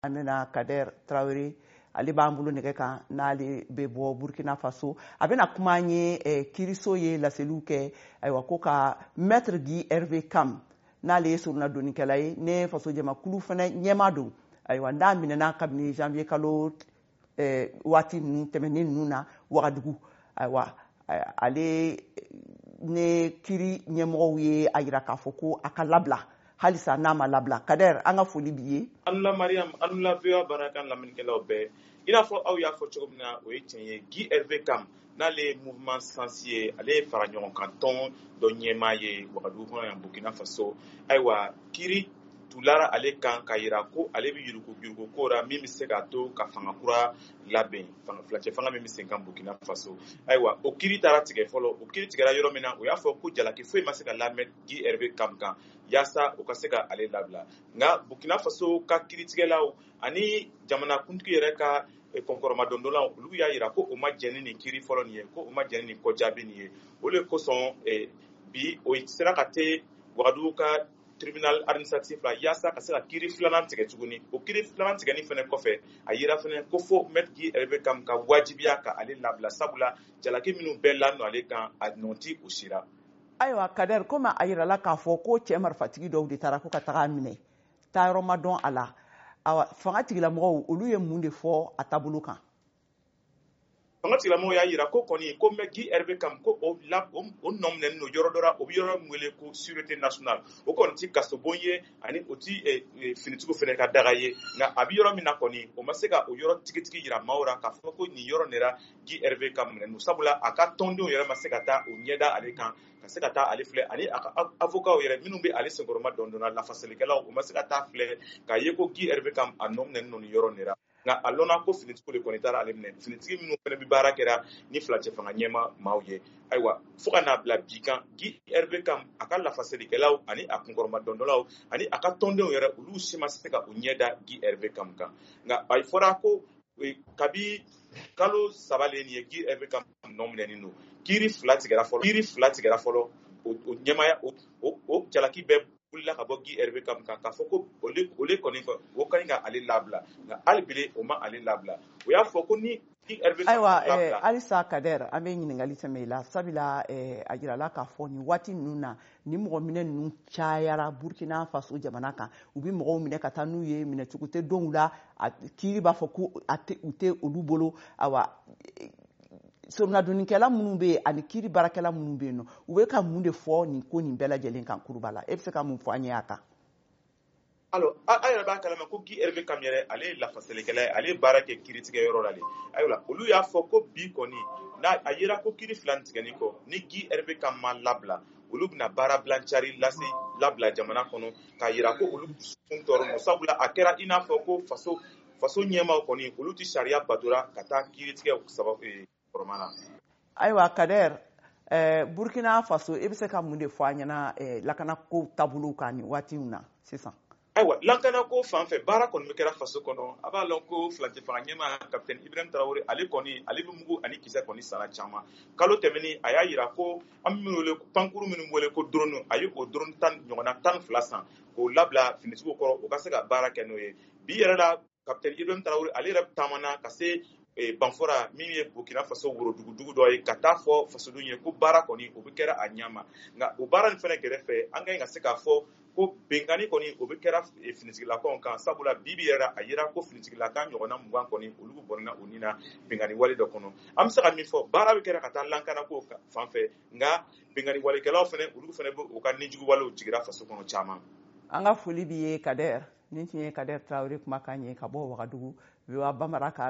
An bɛna Kader Traoré, ale b'an bolo nɛgɛ kan, n'ale bɛ bɔ Burkina Faso. A bɛna kuma an ye kiiriso ye laseliw kɛ, ayiwa, ko ka Maître Guy Hervé Kam, n'ale ye soronadonnikɛla ye, ne faso jamakulu fana ɲɛmaa don, ayiwa, n'a minɛna kabini janvier kalo waati ninnu tɛmɛnen ninnu na Wagadugu. Ayiwa, ale ne kiiri ɲɛmɔgɔw ye a yira k'a fɔ ko a ka labila halisa n'a ma labila. Kader, an ka foli b'i ye. Anula Mariam, anula VOA baarakan lamɛnnikɛlaw bɛɛ. I n'a fɔ aw y'a fɔ cogo min na, o ye tiɲɛ ye. Guy Hervé Kam, n'ale ye Mouvement Sens ye, ale ye fara ɲɔgɔn kan tɔn dɔ ɲɛmaa ye Wagadugu kɔnɔ yan, Burkina Faso. Ayiwa, kiiri tulara ale kan k'a yira ko ale bɛ yurugu yurugu ko ra min bɛ se k'a to ka fanga kura labɛn, fanga furancɛ fanga min bɛ sen kan Burkina Faso. Ayiwa, o kiiri taara tigɛ fɔlɔ. O kiiri tigɛra yɔrɔ min na, o y'a fɔ ko jalaki foyi ma se ka lamɛn Guy Hervé Kam kan yaasa o ka se ka ale labila. Nka Burkina Faso ka kiiritigɛlaw ani jamanakuntigi yɛrɛ ka kɔnkɔrɔmadondɔnlaw, olu y'a yira ko o ma jɛn ni nin kiiri fɔlɔ nin ye, ko o ma jɛn ni nin kɔjaabi nin ye. O le kosɔn bi o sera ka te Wagadugu ka tribunal administratif la yaasa ka se ka kiiri filanan tigɛ tuguni. O kiiri filanan tigɛni fɛnɛ kɔfɛ, a yira fɛnɛ ko fo Maître Guy Hervé Kam ka wajibiya ka ale labila, sabula jalaki minnu bɛɛ ladon ale kan, a nɔ ti o sira. Ayiwa Kader, komi a yirala k'a fɔ ko cɛ marifatigi dɔw de taara ko ka taga minɛ, taayɔrɔ ma dɔn a la, awa, fanga tigilamɔgɔw, olu ye mun de fɔ a taabolo kan? Fanga tigilamɔgɔw y'a yira ko kɔni ko Maître Guy Hervé Kam, ko o la o nɔ minɛnen don yɔrɔ dɔ la, o bɛ yɔrɔ min wele ko Sûreté nationale. O kɔni ti kasobon ye, ani o ti finitigiw fɛnɛ ka daga ye. Nka a bɛ yɔrɔ min na kɔni, o ma se ka o yɔrɔ tigitigi yira maaw la k'a fɔ ko nin yɔrɔ nin ra Guy Hervé Kam minɛnen don, sabula a ka tɔndenw yɛrɛ ma se ka taa o ɲɛda ale kan ka se ka taa ale filɛ, ani a ka avocat yɛrɛ minnu bɛ ale senkɔrɔma dɔn lafasalikɛlaw, o ma se ka taa filɛ k'a ye ko Guy Hervé Kam a nɔ minɛnen don nin yɔrɔ nin ra. Nka a lɔnna ko finitigiw de kɔni taara ale minɛ, finitigi minnu fana bɛ baara kɛra ni furancɛ fanga ɲɛma maaw ye. Ayiwa, fo ka n'a bila bi kan, Guy Hervé Kam, a ka lafasalikɛlaw ani a kunkɔrɔma dɔndɔlaw ani a ka tɔndenw yɛrɛ, olu si ma se ka u ɲɛ da Guy Hervé Kam kan. Nka a fɔra ko kabi kalo 3 le nin ye, Guy Hervé Kam nɔ minɛnen don. Kiiri fila tigɛra fɔlɔ, kiiri fila tigɛra fɔlɔ, o ɲɛmaya o jalaki bɛɛ wulila ka bɔ Guy Hervé Kam kan k'a fɔ ko ole kɔni o ka ɲi ka ale labila. Nka hali bi o ma ale labila. O y'a fɔ ko ni Guy Hervé Ayiwa, halisa Kader, an bɛ ɲininkali tɛmɛ i la, sabula a jirala k'a fɔ nin waati ninnu na, ni mɔgɔ minɛ ninnu cayara Burkina Faso jamana kan. U bɛ mɔgɔw minɛ ka taa n'u ye, minɛcogo tɛ dɔw la, kiiri b'a fɔ ko u tɛ olu bolo. Ayiwa, soronadonnikɛla minnu bɛ yen ani kiiri baarakɛla minnu bɛ yen nɔ, u bɛ ka mun de fɔ nin ko nin bɛɛ lajɛlen kan kuruba la? E bɛ se ka mun fɔ an ye a kan? Alors, a yɛrɛ b'a kalama ko Guy Hervé Kam yɛrɛ, ale ye lafasalikɛla ye, ale ye baara kɛ kiiritigɛ yɔrɔ la de. Ayiwa, olu y'a fɔ ko bi kɔni n'a a yera ko kiiri fila tigɛni kɔ, ni Guy Hervé Kam ma labila, olu bɛna baara bilancari lase labila jamana kɔnɔ k'a yira ko olu dusukun tɔɔrɔ don, sabula a kɛra i n'a fɔ ko faso ɲɛmaaw kɔni, olu tɛ sariya batora ka taa kiiritigɛ sababu kɔrɔma na. Ayiwa Kader, Burkina Faso, e bɛ se ka mun de fɔ an ɲɛna lakanako taabolow kan nin waati in na sisan? Ayiwa, lakanako fan fɛ, baara kɔni bɛ kɛra faso kɔnɔ. A b'a lɔn ko furancɛ fanga ɲɛmaa Capitaine Ibrahim Traoré, ale kɔni, ale bɛ mugu ani kisɛ kɔni sara caman. Kalo tɛmɛnen, a y'a yira ko an bɛ minnu wele pankuru, minnu wele ko drone, a ye o drone 10 ɲɔgɔnna 12 san k'o labila finitigiw kɔrɔ, u ka se ka baara kɛ n'o ye. Bi yɛrɛ la, Capitaine Ibrahim Traoré, ale yɛrɛ taamana ka se Banfora min ye Burkina Faso worodugu dɔ ye, ka taa fɔ fasodenw ye ko baara kɔni o bɛ kɛra a ɲɛ ma. Nka o baara nin fɛnɛ gɛrɛfɛ, an ka ɲi ka se k'a fɔ ko binkanni kɔni o bɛ kɛra finitigilakaw kan, sabula bi bi yɛrɛ a yira ko finitigilaka ɲɔgɔnna 20 kɔni, olu bɔnna u ni na binkanni wale dɔ kɔnɔ. An bɛ se ka min fɔ, baara bɛ kɛra ka taa lankanako fan fɛ, nka binkanni walekɛlaw fɛnɛ, olu fɛnɛ bɛ u ka nijugu walew jigira faso kɔnɔ caman. An ka foli b'i ye Kader. Nin tun ye Kader Traoré kumakan ye ka bɔ Wagadugu, VOA Bambara ka